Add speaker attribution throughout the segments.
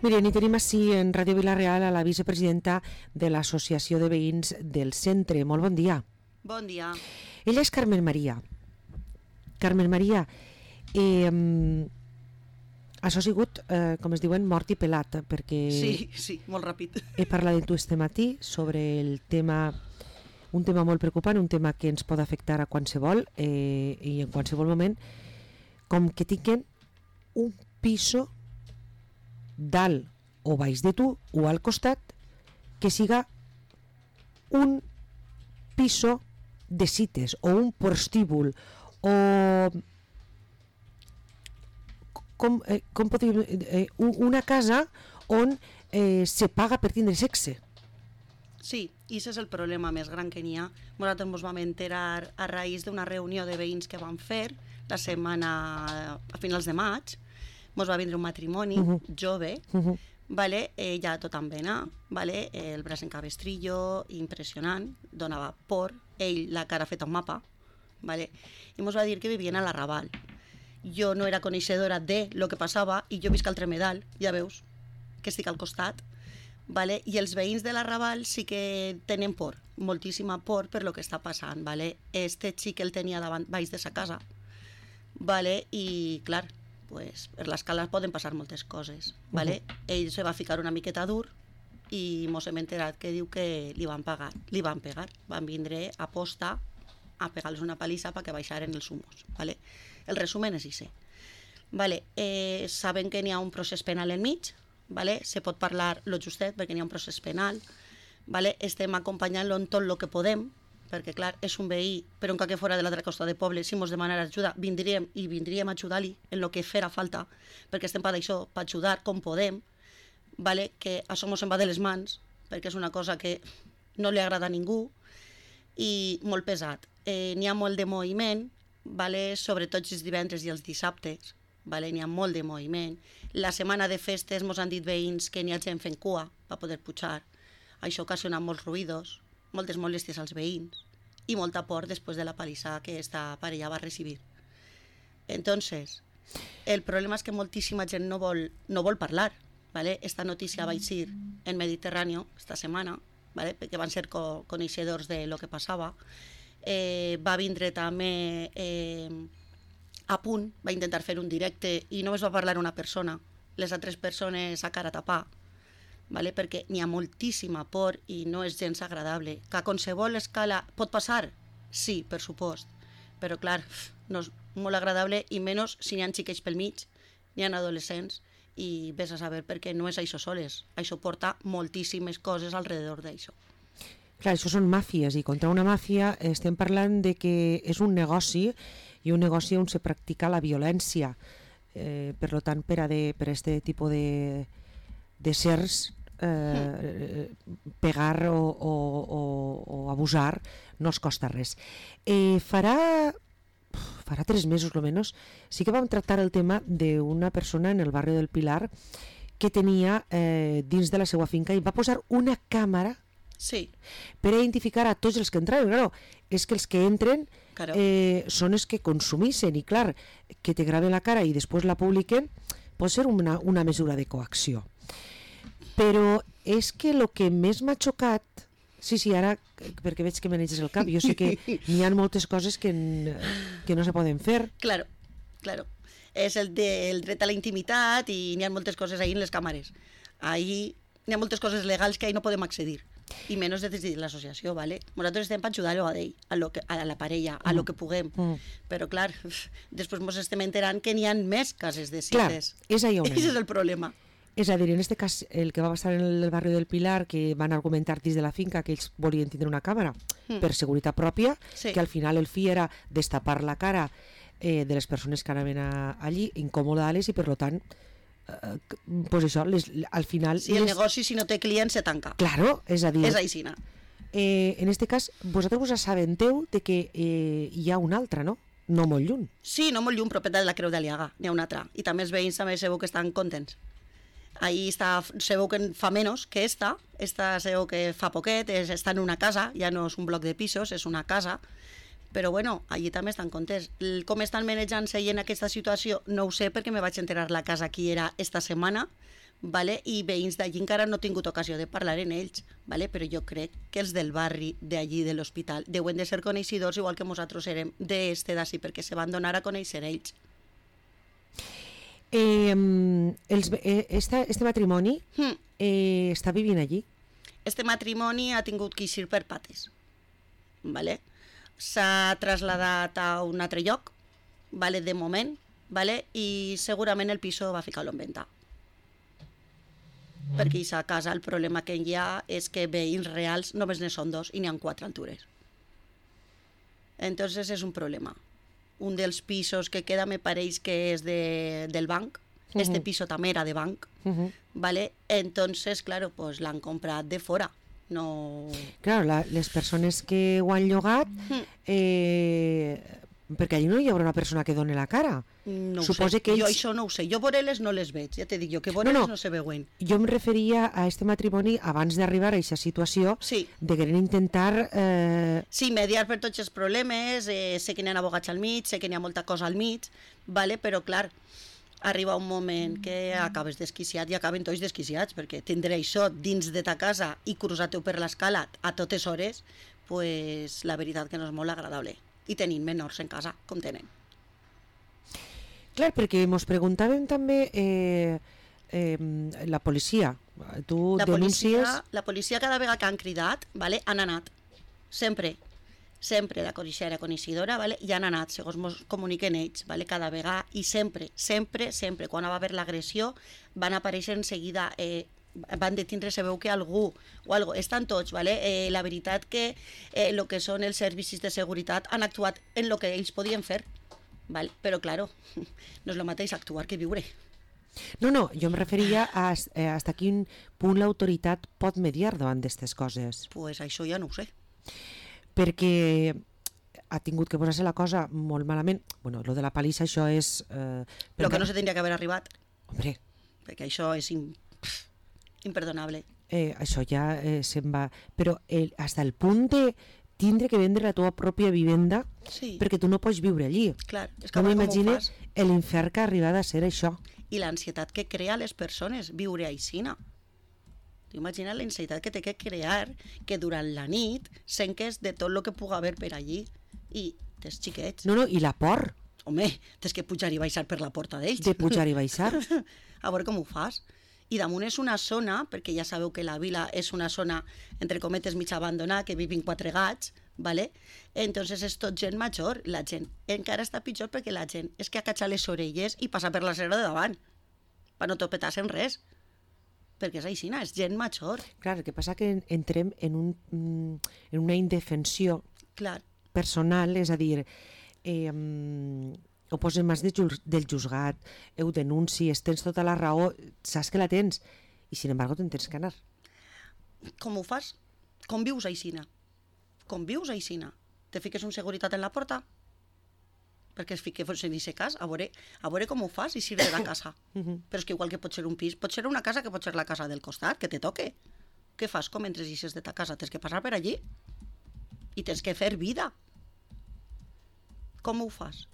Speaker 1: Miren, i tenim així en Ràdio Vila-real a la vicepresidenta de l'Associació de Veïns del Centre. Molt bon dia.
Speaker 2: Bon dia.
Speaker 1: Ella és Carmen Maria. Carmen Maria, això ha sigut, com es diuen, mort i pelat, perquè
Speaker 2: Sí, molt ràpid.
Speaker 1: he parlat amb tu este matí sobre el tema, un tema molt preocupant, un tema que ens pot afectar a qualsevol i en qualsevol moment, com que tinguin un piso dalt o baix de tu o al costat que siga un piso de cites o un prostíbul o com podríem una casa on se paga per tindre sexe.
Speaker 2: Sí, i aquest és el problema més gran que n'hi ha. Nosaltres ens vam enterar a raïs d'una reunió de veïns que vam fer la setmana a finals de maig. Ens va vindre un matrimoni jove, vale? Ja tot en vena, vale? El braç en cabestrillo, impressionant, donava por, ell la cara feta un mapa, vale? I ens va dir que vivien a la Raval. Jo no era coneixedora de lo que passava i jo visc al Tremedal, ja veus, que estic al costat, vale? I els veïns de la Raval sí que tenen por, moltíssima por per lo que està passant, vale? Este xic el tenia davant, baix de sa casa, vale? I clar, pues, per l'escala poden passar moltes coses, vale? Ell se va ficar una miqueta dur i mos hem enterat que diu que li van pegar, van vindre a posta a pegar-los una palissa perquè baixaren els humos, vale? El resumen és això, vale? Saben que n'hi ha un procés penal enmig, vale? Se pot parlar lo justet perquè n'hi ha un procés penal, vale? Estem acompanyant-lo en tot el que podem, perquè clar, és un veí, però encara que fora de l'altra costa de poble, si ens demanara ajuda, vindríem a ajudar-li en el que farà falta, perquè estem per això, per ajudar com podem, vale? Que això ens va de les mans, perquè és una cosa que no li agrada a ningú, i molt pesat. N'hi ha molt de moviment, vale? Sobretot els divendres i els dissabtes, vale? N'hi ha molt de moviment. La setmana de festes ens han dit veïns que n'hi ha gent fent cua per poder pujar. Això ocasiona molts ruïdos, moltes molèsties als veïns i molta por després de la palissa que esta parella va recibir. Entonces, el problema és que moltíssima gent no vol parlar, ¿vale? Esta notícia va eixir en Mediterráneo esta setmana, ¿vale? Perquè van ser coneixedors de lo que passava. Va vindre també a punt, va intentar fer un directe i només va parlar una persona, les altres persones a cara a tapar, vale? Perquè n'hi ha moltíssima por i no és gens agradable. Que a qualsevol escala pot passar? Sí, per supost, però clar, no és molt agradable i menys si n'hi ha xiquets pel mig, n'hi ha adolescents i vés a saber perquè no és això soles, això porta moltíssimes coses alrededor d'això.
Speaker 1: Clar, això són màfies i contra una màfia estem parlant de que és un negoci i un negoci on se practica la violència. Per tant, per este tipus de sers pegar o abusar no els costa res. Farà 3 mesos o menys sí que vam tractar el tema d'una persona en el barri del Pilar que tenia dins de la seva finca i va posar una càmera per identificar a tots els que entraven. Claro, és que els que entren són els que consumeixen i clar, que te graven la cara i després la publiquen pot ser una mesura de coacció. Però és que el que més m'ha xocat, sí, ara, perquè veig que maneges el cap, jo sé que n'hi ha moltes coses que no se poden fer.
Speaker 2: Claro. És el dret a la intimitat i n'hi ha moltes coses ahí en les càmeres. Ahí n'hi ha moltes coses legals que ahí no podem accedir. I menys des de l'associació, ¿vale? Nosaltres estem per ajudar-lo a ell, a la parella, a lo que puguem. Però, clar, després ens estem enterant que n'hi ha més cases de cites.
Speaker 1: Clar, és allà on
Speaker 2: és el problema.
Speaker 1: És a dir, en aquest cas, el que va passar en el barri del Pilar, que van argumentar dins de la finca que ells volien tindre una càmera per seguretat pròpia, que al final el fi era destapar la cara de les persones que anaven allí, incomodar-les i, per tant, pues això, al final...
Speaker 2: Si el negoci, si no té clients, se tanca.
Speaker 1: Claro, és a dir...
Speaker 2: És aixina.
Speaker 1: En aquest cas, vosaltres us assabenteu de que hi ha una altra, no? No molt lluny.
Speaker 2: Sí, no molt lluny, propietat de la Creu d'Aliaga, n'hi ha una altra. I també els veïns també sabeu que estan contents. Ahí sabeu que fa menys que esta sabeu que fa poquet, està en una casa, ja no és un bloc de pisos, és una casa, Però bueno, allí també estan contents. Com estan manejant-se en aquesta situació no ho sé, perquè me vaig enterar la casa qui era esta setmana, vale? I veïns d'allí encara no he tingut ocasió de parlar en ells, vale? Però jo crec que els del barri d'allí de l'hospital deuen de ser coneixedors igual que nosaltres érem d'este d'ací, perquè se van donar a conèixer ells.
Speaker 1: Este matrimoni està vivint allí?
Speaker 2: Este matrimoni ha tingut que eixir per pates, vale? S'ha traslladat a un altre lloc, vale, de moment, vale, i segurament el piso va ficar-lo en venda. Perquè a casa el problema que hi ha és que veïns reals només ne són 2 i n'hi ha 4 altures. Entonces és un problema. Un dels pisos que queda me pareix que és del banc. Este piso també era de banc, vale? Entonces, claro, pues l'han comprat de fora. No...
Speaker 1: Claro, les persones que ho han llogat, perquè allí no hi haurà una persona que doni la cara.
Speaker 2: No ho sé, jo això no ho sé. Jo voreles no les veig, ja te dic jo, que voreles no se veuen.
Speaker 1: Jo em referia a este matrimoni abans d'arribar a aquesta situació, de querer intentar...
Speaker 2: Sí, mediar per tots els problemes, sé que n'hi ha abogats al mig, sé que n'hi ha molta cosa al mig, vale? Però clar, arriba un moment que acabes desquiciat i acaben tots desquiciats, perquè tindre això dins de ta casa i cruzar-te per l'escala a totes hores, pues la veritat que no és molt agradable. I tenim menors en casa, com tenen.
Speaker 1: Clar, perquè ens preguntàvem també la policia. Tu denuncies...
Speaker 2: La policia cada vegada que han cridat, vale, han anat. Sempre la policia era coneixedora, vale? I han anat, segons ens comuniquen ells, vale? Cada vegada, i sempre, quan va haver l'agressió, van aparèixer en seguida, van detindre, se veu que algú o algo, estan tots, vale? La veritat que el que són els servicis de seguretat han actuat en el que ells podien fer, vale? Però claro, no és el mateix actuar que viure.
Speaker 1: No, jo em referia a hasta quin punt l'autoritat pot mediar davant d'aquestes coses.
Speaker 2: Pues això ja no ho sé.
Speaker 1: Perquè ha tingut que posar-se la cosa molt malament. Bueno, lo de la palissa, això és...
Speaker 2: Lo que no se tindria que haver arribat.
Speaker 1: Hombre.
Speaker 2: Perquè això és imperdonable.
Speaker 1: Això ja se'n va... Però hasta el punt de tindre que vendre la teva pròpia vivenda perquè tu no pots viure allí.
Speaker 2: Clar, és que
Speaker 1: no m'imagines l'infern que ha arribat a ser això.
Speaker 2: I l'ansietat que crea a les persones viure aixina. Imagina l'ansietat que té que crear que durant la nit senques de tot el que pugui haver per allí i tens xiquets.
Speaker 1: No, i la por.
Speaker 2: Home, tens que pujar i baixar per la porta d'ells.
Speaker 1: De pujar i baixar.
Speaker 2: A veure com ho fas. I damunt és una zona, perquè ja sabeu que la vila és una zona, entre cometes, mig abandonada, que vivin 4 gats, ¿vale? Entonces és tot gent major. La gent encara està pitjor perquè la gent és que acacha les orelles i passa per la serra de davant, per no topetar-se en res. Perquè és així, és gent major.
Speaker 1: Clar, el que passa que entrem en una indefensió personal, és a dir, ho posen mans del juzgat, ho denuncies, tens tota la raó, saps que la tens, i sin embargo te'n tens que anar.
Speaker 2: Com ho fas? Com vius aixina? Com vius aixina? Te fiques un seguretat en la porta? Perquè es fique en aquest cas, a veure com ho fas i de la casa. Però és que igual que pot ser un pis, pot ser una casa que pot ser la casa del costat, que te toque. Què fas? Com entres i eixes de ta casa? Tens que passar per allí i tens que fer vida. Com ho fas?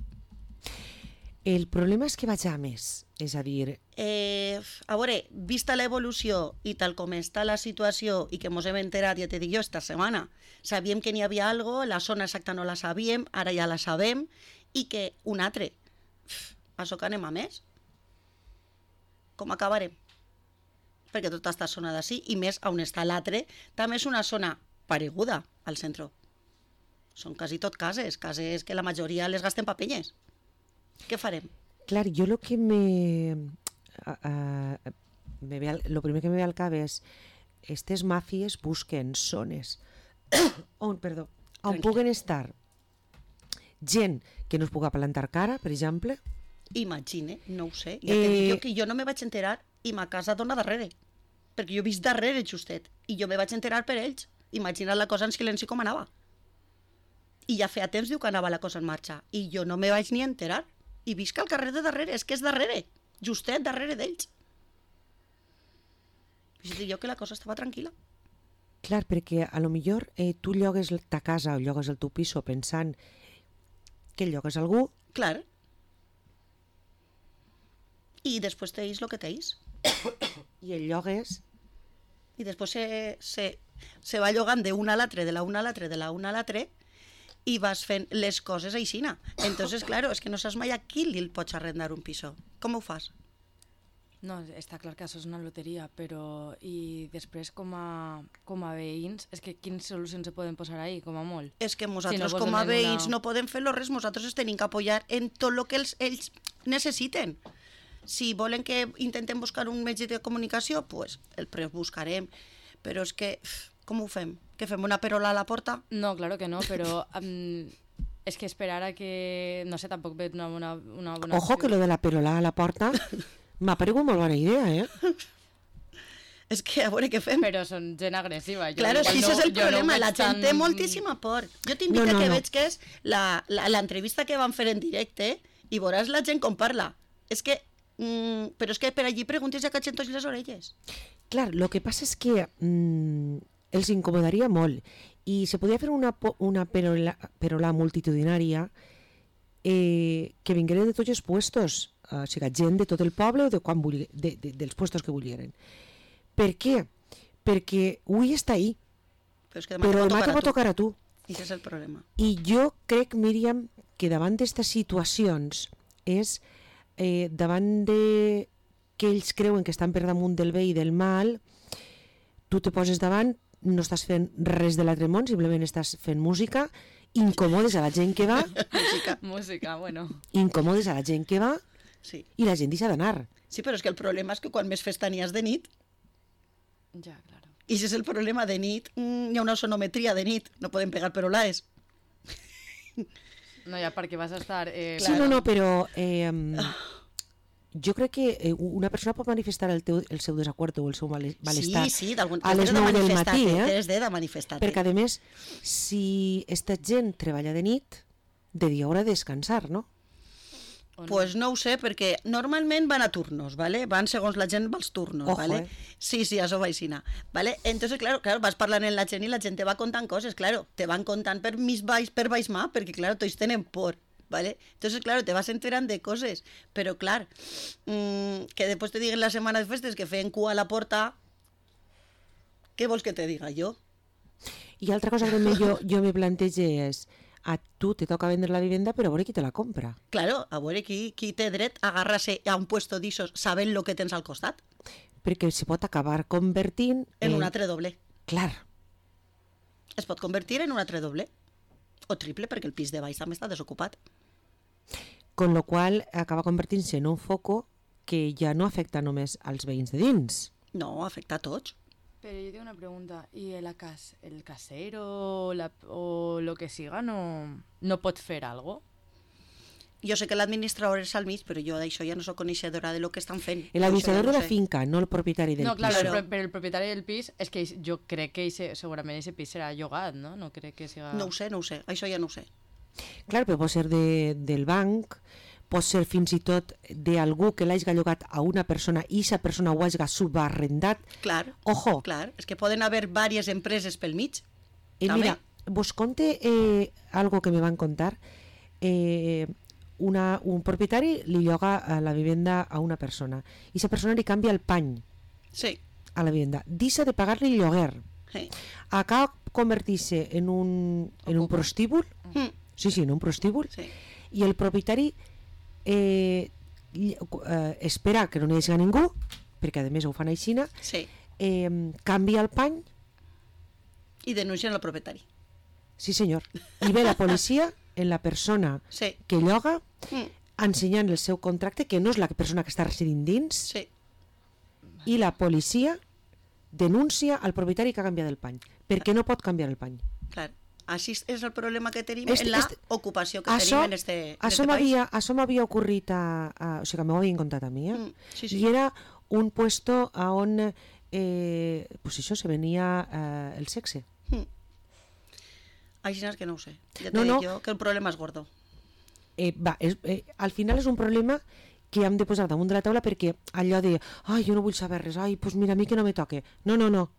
Speaker 1: El problema és que vaig a més, és a dir...
Speaker 2: A veure, vista l'evolució i tal com està la situació i que ens hem enterat, ja te dic jo, esta setmana, sabíem que n'hi havia alguna cosa, la zona exacta no la sabíem, ara ja la sabem, i que un altre, això que anem a més, com acabarem? Perquè tota aquesta zona d'ací, i més on està l'altre, també és una zona pareguda al centre. Són quasi tot cases que la majoria les gasten papenyes. Què farem?
Speaker 1: Clar, jo el que lo primer que me ve al cap és aquestes màfies busquen zones on puguen estar gent que no es pugui plantar cara, per exemple.
Speaker 2: Imagine, no ho sé. Ja te dic jo que jo no me vaig enterar i ma casa dona darrere. Perquè jo he vist darrere justet i jo me vaig enterar per ells. Imagina't la cosa en silenci com anava. I ja feia temps diu que anava la cosa en marxa i jo no me vaig ni enterar. I visc al carrer de darrere, és que és darrere, justet darrere d'ells. Jo que la cosa estava tranquil·la.
Speaker 1: Clar, perquè a lo millor tu llogues ta casa o llogues el teu piso pensant que llogues algú.
Speaker 2: Clar. I després teis el que teis.
Speaker 1: I el llogues.
Speaker 2: I després se va llogant d'una a l'altre, de la una a l'altre, de la una a l'altre, i vas fent les coses aixina. Entonces, claro, és que no saps mai a qui li pots arrendar un piso. Com ho fas?
Speaker 3: No, està clar que això és una loteria, però i després com a veïns, és que quines solucions se poden posar ahí, com a molt?
Speaker 2: És que nosaltres
Speaker 3: Si no
Speaker 2: com a
Speaker 3: donen
Speaker 2: veïns no podem fer-lo res, nosaltres es tenim que apoyar en tot el que ells necessiten. Si volen que intentem buscar un metge de comunicació, pues el buscarem, però és que, com ho fem? Que fem una perola a la porta?
Speaker 3: No, claro que no, però és que esperar a que, no sé, tampoc ve una bona...
Speaker 1: Ojo, que lo de la perola a la porta m'ha paregut molt bona idea,
Speaker 2: És que a veure què fem.
Speaker 3: Però són gent agressiva.
Speaker 2: Claro, si ese és el problema, la gent té moltíssima por. Jo t'invito a que veig que és l'entrevista que van fer en directe i veuràs la gent com parla. És que, però és que per allí preguntes ja catxen tots les orelles.
Speaker 1: Clar, lo que passa és que els incomodaria molt i se podria fer una perola multitudinària que vingueren de tots els puestos, o sigui, gent de tot el poble o dels puestos que volgueren. Per què? Perquè avui està ahí, però demà te pot tocar a tu.
Speaker 2: I això és el problema.
Speaker 1: I jo crec, Míriam, que davant d'aquestes situacions és davant de que ells creuen que estan per damunt del bé i del mal, tu te poses davant, no estàs fent res de l'altre món, simplement estàs fent música, incomodes a la gent que va,
Speaker 3: música, bueno.
Speaker 1: Incomodes a la gent que va,
Speaker 2: sí.
Speaker 1: I la gent deixa d'anar.
Speaker 2: Sí, però és que el problema és que quan més festa n'hi has de nit,
Speaker 3: ja, claro.
Speaker 2: I ese és el problema, de nit hi ha una sonometria de nit, no podem pegar perolaes.
Speaker 3: No, ja perquè vas a estar...
Speaker 1: Sí, no, però jo crec que una persona pot manifestar el seu desacord o el seu malestar a les 9 del matí,
Speaker 2: de manifestar-te.
Speaker 1: Perquè, a més, si esta gent treballa de nit, de dia haurà de descansar, no?
Speaker 2: Pues no ho sé, perquè normalment van a turnos, ¿vale? Van segons la gent als turnos,
Speaker 1: Ojo,
Speaker 2: ¿vale? Sí, això va aixina, ¿vale? Entonces, claro, vas parlant amb la gent i la gent te va contant coses, claro, te van contant per baix mà, perquè, claro, tots tenen por, ¿vale? Entonces, claro, te vas enterant de coses, però, clar, que després te diguen la setmana de festes que feien cua a la porta, què vols que te diga jo?
Speaker 1: I altra cosa que jo me plantege és, a tu te toca vendre la vivenda, però a veure qui te la compra.
Speaker 2: Claro, a veure qui té dret a agarrar-se a un puesto d'ixos sabent el que tens al costat.
Speaker 1: Perquè se pot acabar convertint...
Speaker 2: En un altre doble.
Speaker 1: Clar.
Speaker 2: Es pot convertir en un altre doble. O triple, perquè el pis de baix també està desocupat.
Speaker 1: Con lo qual acaba convertint-se en un foco que ja no afecta només als veïns de dins.
Speaker 2: No, afecta a tots.
Speaker 3: Pero yo tengo una pregunta, ¿y el casero o lo que siga no pot fer algo?
Speaker 2: Jo sé que l'administrador és al mig, però jo d'això ja no soc coneixedora de lo que estan fent.
Speaker 1: L'administrador de la finca, no el propietari del pis.
Speaker 3: No, claro, però el propietari del pis, és que jo crec que segurament aquest pis serà llogat, no? No crec que siga...
Speaker 2: No ho sé, això ja no ho sé.
Speaker 1: Clar, però pot ser del banc, pot ser fins i tot d'algú que l'hagi llogat a una persona i aquesta persona ho hagi subarrendat.
Speaker 2: Clar,
Speaker 1: ojo.
Speaker 2: Clar, és que poden haver diverses empreses pel mig.
Speaker 1: Mira, vos conte algo que me van contar. Un propietari li lloga la vivenda a una persona i aquesta persona li canvia el pany a la vivenda. Deixa de pagar-li el lloguer. Acaba convertir-se en un prostíbul. Sí, en un prostíbul. I el propietari espera que no n'hi hagi ningú, perquè a més ho fan aixina, canvia el pany
Speaker 2: i denuncien el propietari.
Speaker 1: Sí, senyor. I ve la policia en la persona que lloga ensenyant el seu contracte, que no és la persona que està residint dins, i la policia denuncia al propietari que ha canviat el pany, perquè no pot canviar el pany.
Speaker 2: Clar. Així és el problema que tenim en l'ocupació que tenim en este país.
Speaker 1: Això m'havia ocorrit, o sigui, m'ho havien contat a mi, i era un puesto on pues això, se venia el sexe.
Speaker 2: Així és que no ho sé. Ja t'he dit jo que el problema és gordo.
Speaker 1: Al final és un problema que hem de posar damunt de la taula, perquè allò de, ai, jo no vull saber res, ai, pues mira, a mi que no me toque. No.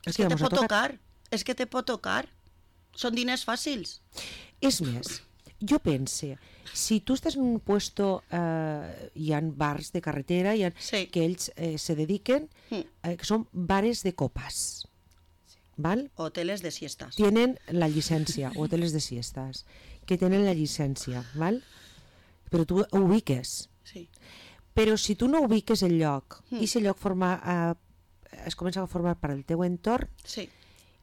Speaker 2: És que te pot tocar. És que te pot tocar. Són diners fàcils.
Speaker 1: És més, jo pense, si tu estàs en un puesto, hi ha bars de carretera
Speaker 2: Sí.
Speaker 1: que ells se dediquen, que són bares de copes, val?
Speaker 2: Hoteles de siestas.
Speaker 1: Tienen la llicència, hoteles de siestas, que tenen la llicència, val? Però tu ho ubiques.
Speaker 2: Sí.
Speaker 1: Però si tu no ubiques el lloc i si el lloc es comença a formar per al teu entorn,
Speaker 2: Sí.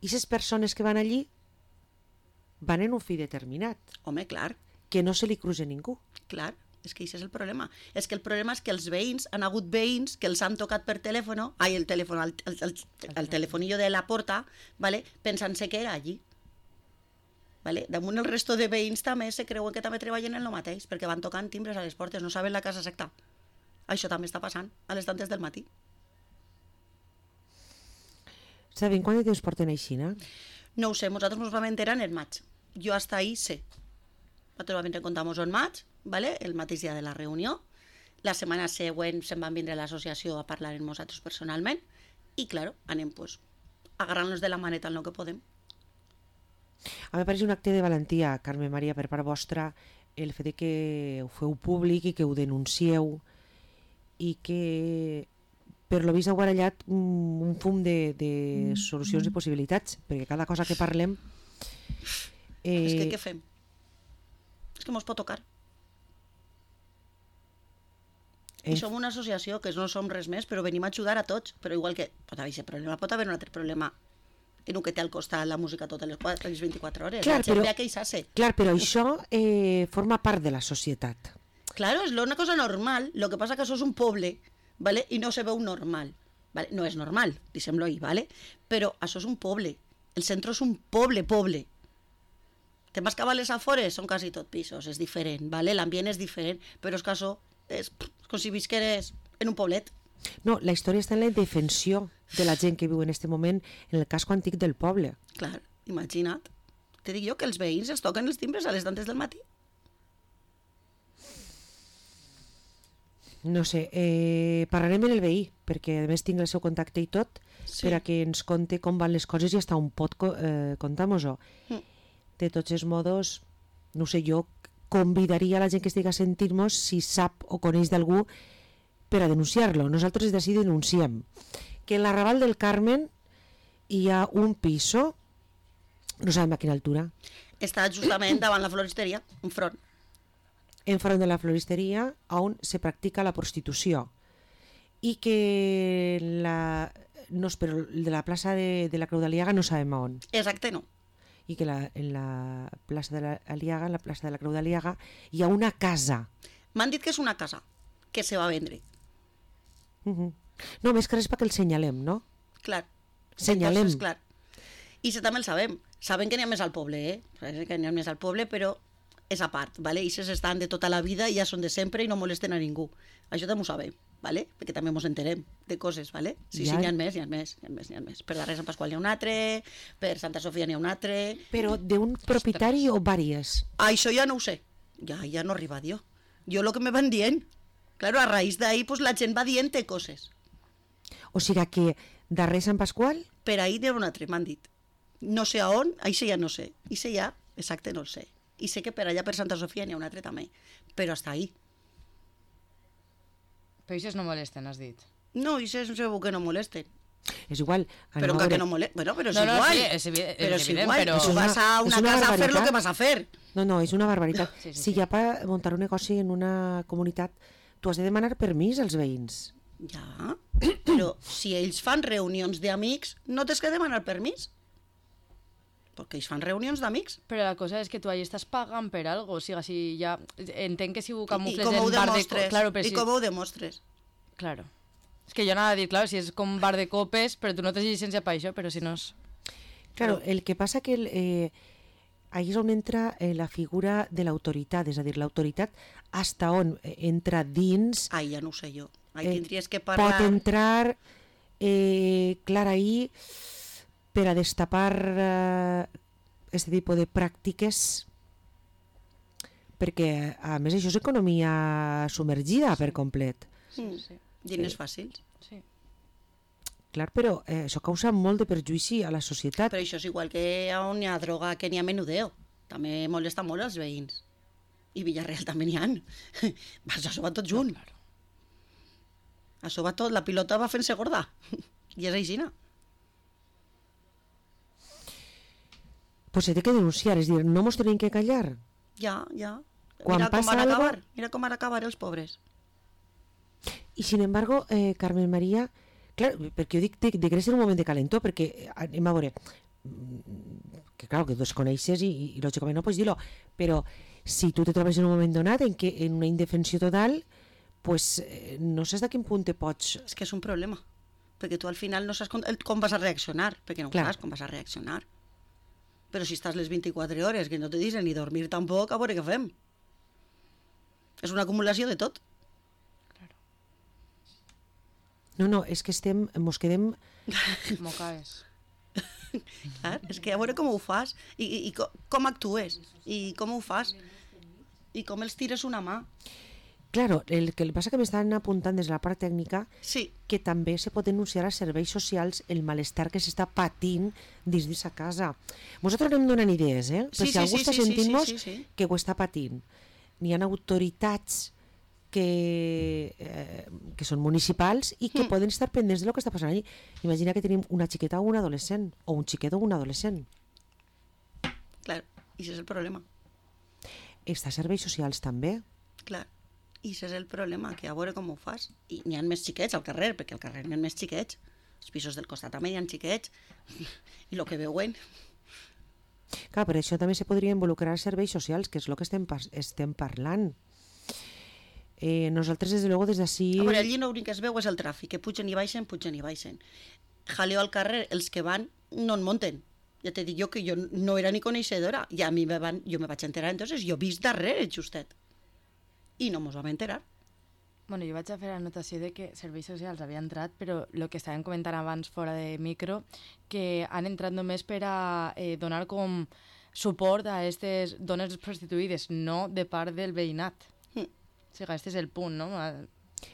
Speaker 1: i les persones que van allí van en un fi determinat,
Speaker 2: Home, clar,
Speaker 1: que no se li cruza ningú.
Speaker 2: clar. És que això és el problema. És que el problema és que els veïns, han hagut veïns que els han tocat per telèfon, el telèfon, el telefonillo de la porta, ¿vale? Pensant-se que era allí. ¿Vale? Damunt el resto de veïns també se creuen que també treballen en el mateix, perquè van tocant timbres a les portes, no saben la casa exacta. Això també està passant a les tantes del matí.
Speaker 1: Saben quant de temps porten així, no?
Speaker 2: No ho sé, nosaltres ens vam enterar en el maig. Jo hasta ahí sé. Nosaltres vam encontrar-nos en maig, ¿vale? El mateix dia de la reunió. La setmana següent se'n van vindre a l'associació a parlar amb nosaltres personalment i, claro, anem pues, agarrant-nos de la maneta en el que podem.
Speaker 1: A mi pareix un acte de valentia, Carme Maria, per part vostra, el fet de que ho feu públic i que ho denuncieu i que, per lo vist, heu barallat un fum de solucions i possibilitats, perquè cada cosa que parlem...
Speaker 2: És que què fem? És que mos pot tocar. I som una associació que no som res més, però venim a ajudar a tots. Però igual que pot haver aquest problema, pot haver un altre problema en el que té al costat la música totes les 24 hores.
Speaker 1: Clar,
Speaker 2: la gent
Speaker 1: però-
Speaker 2: ve a queixar-se.
Speaker 1: Clar, però això forma part de la societat.
Speaker 2: Claro, és una cosa normal. Lo que passa que això és un poble, ¿vale? I no se veu normal. ¿Vale? No és normal, deixem-lo ahí, ¿vale? Però això és un poble. El centre és un poble. Te'n vas cap a les afores, són quasi tot pisos, és diferent, ¿vale? L'ambient és diferent, però és que això és com si visqueres en un poblet.
Speaker 1: No, la història està en la indefensió de la gent que viu en aquest moment en el casco antic del poble.
Speaker 2: Clar, imagina't. Te dic jo que els veïns es toquen els timbres a les tantes del matí.
Speaker 1: No sé, parlarem amb el veí, perquè a més tinc el seu contacte i tot,
Speaker 2: Sí.
Speaker 1: per a que ens conte com van les coses i hasta on pot contar-nos-ho. De tots els modos, no sé, jo convidaria a la gent que estigui a sentir-nos si sap o coneix d'algú per a denunciar-lo. Nosaltres d'ací denunciem que en l'arrabal del Carmen hi ha un piso, no sabem a quina altura,
Speaker 2: Està justament davant la floristeria, enfront.
Speaker 1: enfront de la floristeria on se practica la prostitució i que no, però de la plaça de la Creu d'Aliaga no sabem a on,
Speaker 2: Exacte, no.
Speaker 1: i que en la plaça de l'Aliaga, en la plaça de la Creu d'Aliaga hi ha una casa.
Speaker 2: M'han dit que és una casa que se va vendre.
Speaker 1: No, més que res perquè el senyalem, no?
Speaker 2: Clar.
Speaker 1: Senyalem.
Speaker 2: Entonces, clar. I això també el sabem. Saben que n'hi ha més al poble, Saben que n'hi ha més al poble, però és a part, ¿vale? I estan de tota la vida i ja són de sempre i no molesten a ningú. Això també ho sabem, ¿vale? Perquè també ens enterem de coses, ¿vale? Sí,
Speaker 1: Ja.
Speaker 2: n'hi ha més, n'hi ha més. Per darrere Sant Pasqual n'hi ha un altre, per Santa Sofia n'hi ha un altre...
Speaker 1: Però d'un propietari o vàries?
Speaker 2: Això ja no ho sé. Ja no arriba a dir. Jo el que me van dient. Claro, a raïs d'ahí pues, la gent va dient coses.
Speaker 1: O sigui que darrere Sant Pasqual,
Speaker 2: Per ahí n'hi ha un altre, m'han dit. No sé a on, això ja no sé. Això ja, exacte, no el sé. I sé que per allà, per Santa Sofia, n'hi ha un altre també. Però hasta ahí.
Speaker 3: Però això no molesten, has dit.
Speaker 2: No, això és segur que no molesten.
Speaker 1: és igual.
Speaker 2: Però
Speaker 1: anem a
Speaker 2: que
Speaker 1: veure-
Speaker 2: no molesten. Bueno, però és
Speaker 3: No, no,
Speaker 2: igual.
Speaker 3: sí, és
Speaker 2: però és
Speaker 3: evident,
Speaker 2: igual.
Speaker 3: però-
Speaker 2: Tu vas a
Speaker 1: És
Speaker 2: una
Speaker 1: una
Speaker 2: casa a fer
Speaker 1: barbaritat.
Speaker 2: el que vas a fer.
Speaker 1: No, és una barbaritat.
Speaker 3: Sí, sí,
Speaker 1: Si
Speaker 3: sí.
Speaker 1: hi ha per muntar un negoci en una comunitat, tu has de demanar permís als veïns.
Speaker 2: Ja, però si ells fan reunions d'amics, no tens que demanar permís. Perquè ells fan reunions d'amics.
Speaker 3: Però la cosa és que tu ahí estàs pagant per algo, o sigui, si ja... Entenc que si ho
Speaker 2: I
Speaker 3: camufles
Speaker 2: com ho
Speaker 3: en bar de...
Speaker 2: demostres?
Speaker 3: Claro, però
Speaker 2: I
Speaker 3: si...
Speaker 2: com ho demostres?
Speaker 3: Claro. És que jo anava a dir, claro, si és com bar de copes, però tu no tens llicència per això, però si no és...
Speaker 1: Claro, el que passa que ahí és on entra la figura de l'autoritat, és a dir, l'autoritat hasta on entra dins,
Speaker 2: Ai, ja no ho sé jo. Ai, tindries que
Speaker 1: pot
Speaker 2: parlar...
Speaker 1: entrar clar ahí per a destapar este tipus de pràctiques, perquè a més això és economia submergida per complet.
Speaker 3: Sí.
Speaker 2: Diners fàcils.
Speaker 3: Sí.
Speaker 1: Clar, però això causa molt de perjuïci a la societat.
Speaker 2: Però això és igual que on hi ha droga, que n'hi ha menudeo. També molesta molt als veïns. I Villarreal també n'hi ha. Això va tot junt.
Speaker 3: Claro.
Speaker 2: Això va tot, la pilota va fent-se gorda. I és així, no?
Speaker 1: Pues se té que denunciar, és dir, no mos tenim que callar.
Speaker 2: Ja.
Speaker 1: Quan passa algo...
Speaker 2: Mira com van acabar els pobres.
Speaker 1: I sin embargo, Carmen María, clar, perquè jo dic de que és un moment de calentó, perquè anem a veure, que clar, que tu es coneixes i lògicament no pots dir-lo, però si tu te trobes en un moment donat en una indefensió total, pues no saps de quin punt te pots...
Speaker 2: És que és un problema, perquè tu al final no saps com vas a reaccionar, perquè no
Speaker 1: Clar.
Speaker 2: saps com vas a reaccionar. Però si estàs les 24 hores, que no te deixen ni dormir tampoc, a veure què fem. És una acumulació de tot.
Speaker 1: No, és que mos quedem...
Speaker 3: Mocaes.
Speaker 2: Clar, és que a veure com ho fas i com actues i com ho fas i com els tires una mà.
Speaker 1: Claro, el que passa que m'estan apuntant des de la part tècnica
Speaker 2: Sí,
Speaker 1: que també se pot denunciar als serveis socials el malestar que s'està patint dins d'aquesta casa. Nosaltres anem donant idees, però si algú està sentint-nos
Speaker 2: sí.
Speaker 1: que ho està patint. N'hi ha autoritats que són municipals i que poden estar pendents de lo que està passant allí. Imagina que tenim una xiqueta o un adolescent, o un xiquet o un adolescent.
Speaker 2: Clar, i això és el problema.
Speaker 1: Està a serveis socials també.
Speaker 2: Clar, i això és el problema, que a veure com ho fas. I n'hi ha més xiquets al carrer, perquè al carrer n'hi ha més xiquets. Els pisos del costat també hi ha xiquets. I el que veuen...
Speaker 1: Clar, per això també se podria involucrar els serveis socials, que és el que estem parlant. Nosaltres, des de luego, des d'ací...
Speaker 2: A veure, allí l'únic que es veu és el tràfic, que pugen i baixen. Jaleo al carrer, els que van no en munten. Ja t'he dit jo que jo no era ni coneixedora. I a mi jo me vaig enterar, entonces jo he vist darrere, justet. I no mos vam enterar.
Speaker 3: Bueno, jo vaig a fer la notació de que serveis socials havia entrat, però el que estàvem comentant abans fora de micro, que han entrat només per a donar com suport a aquestes dones prostituïdes, no de part del veïnat. O sigui, este és el punt, no?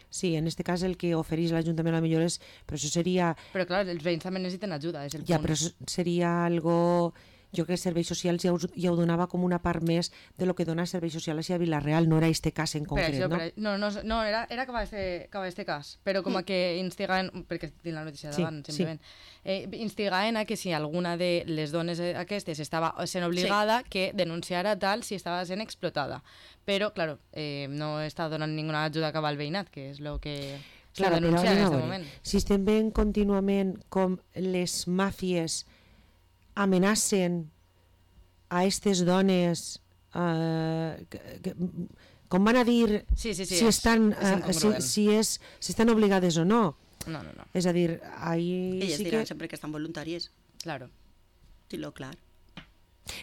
Speaker 1: Sí, en este cas el que ofereix l'Ajuntament a millor és... Però això seria...
Speaker 3: Però clar, els veïns també necessiten ajuda, és el punt.
Speaker 1: Ja, però seria algo... Jo crec que serveis socials ja ho donava com una part més de lo que dona serveis socials a Vila-real, no era este cas en concret,
Speaker 3: això,
Speaker 1: no?
Speaker 3: No, era com este cas, però com a que instigaven, perquè tinc la notícia davant, simplement, instigaven a que si alguna de les dones aquestes estava sent obligada, que denunciara tal si estava sent explotada. Però, claro, no està donant ninguna ajuda cap al veïnat, que és el que s'ha denunciat en aquest moment.
Speaker 1: Si estem veient contínuament com les màfies amenacen a aquestes dones com van a dir
Speaker 3: si
Speaker 1: estan obligades o no.
Speaker 3: No.
Speaker 1: És a dir, ahí
Speaker 2: Elles
Speaker 1: sí
Speaker 2: diran
Speaker 1: que
Speaker 2: sempre que estan voluntàries.
Speaker 3: Claro.
Speaker 2: Dilo clar.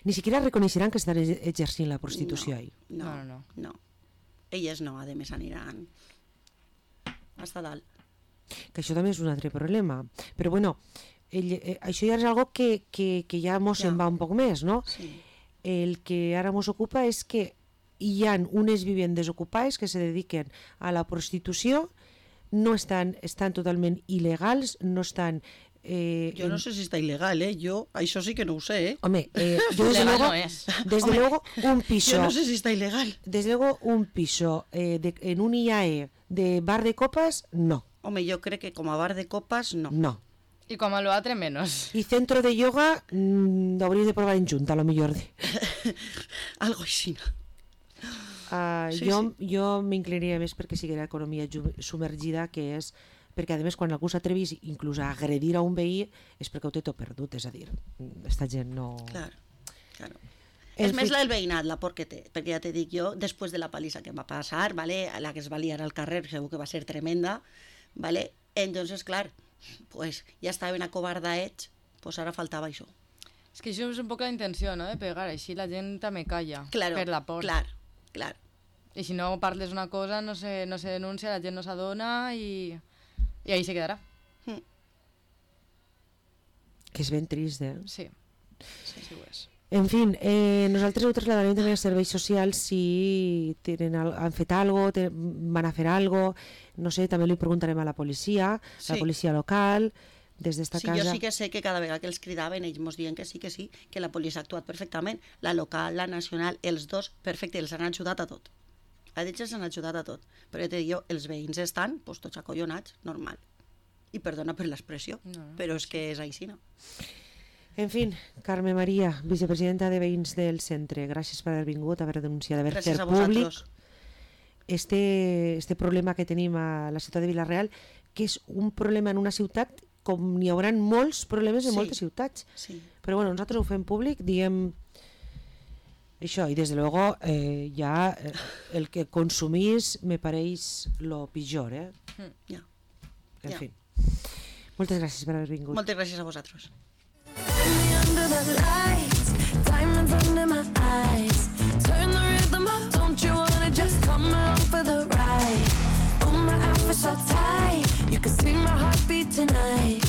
Speaker 1: ni siquiera reconeixeran que estan exercint la prostitució ahí.
Speaker 2: No. Elles no, a més aniran hasta dalt.
Speaker 1: Que això també és un altre problema. Però bueno, això ja és algo que ja mos en va un poc més, no?
Speaker 2: Sí.
Speaker 1: El que ara mos ocupa és que hi ha unes vivendes ocupades que se dediquen a la prostitució, no estan totalment il·legals, no estan...
Speaker 2: Jo no sé si està il·legal, Jo això sí que no ho sé,
Speaker 1: Home, yo desde luego un piso...
Speaker 2: Yo no sé si está ilegal.
Speaker 1: Desde luego un piso en un IAE de bar de copas, no.
Speaker 2: Home, jo crec que com a bar de copas, no.
Speaker 1: No.
Speaker 3: Y como a lo atre menos.
Speaker 1: Y centro de yoga, lo habréis de probar en Junta, a lo mejor.
Speaker 2: Algo així. Sí,
Speaker 1: jo m'inclinaria més perquè sigui l'economia submergida, que és perquè, a més, quan algú s'atrevís inclús a agredir a un veí és perquè ho té tot perdut, és a dir, esta gent no...
Speaker 2: Claro. És més el veïnat, la por que té, perquè ja te dic jo, després de la palissa que em va passar, ¿vale? La que es va liar al carrer, segur que va ser tremenda, ¿vale? Entonces, clar, pues ja estaven acobardaets, pues ara faltava això.
Speaker 3: És que això és un poc la intenció, no?, de pegar, així la gent també calla, per la por.
Speaker 2: Clar.
Speaker 3: I si no parles una cosa, no se denuncia, la gent no s'adona i ahí se quedarà.
Speaker 1: Que és ben trist,
Speaker 3: Sí ho és.
Speaker 1: En fi, nosaltres ho trasladarem també als serveis socials si han fet alguna cosa, van a fer alguna cosa, no sé, també li preguntarem a la policia local, des d'esta
Speaker 2: sí,
Speaker 1: casa...
Speaker 2: Jo sí que sé que cada vegada que els cridaven ells mos diuen que sí, que la policia ha actuat perfectament, la local, la nacional, els dos, perfecte, els han ajudat a tot. A ells els han ajudat a tot. Però ja te dic, els veïns estan pues, tots acollonats, normal. I perdona per l'expressió, però és que és així, no?
Speaker 1: En fi, Carme Maria, vicepresidenta de Veïns del Centre, gràcies per haver vingut, haver denunciat, haver fet públic este problema que tenim a la ciutat de Vila-real, que és un problema en una ciutat com n'hi haurà molts problemes en moltes ciutats.
Speaker 2: Sí.
Speaker 1: Però bueno, nosaltres ho fem públic, diem això, i des de luego ja el que consumís me pareix lo pitjor,
Speaker 2: Ja.
Speaker 1: En fi. Moltes gràcies per haver vingut.
Speaker 2: Moltes gràcies a vosaltres.
Speaker 4: Under the lights, diamonds under my eyes. Turn the rhythm up, don't you wanna just come along for the ride? Oh, my outfit's so tight, you can see my heartbeat tonight.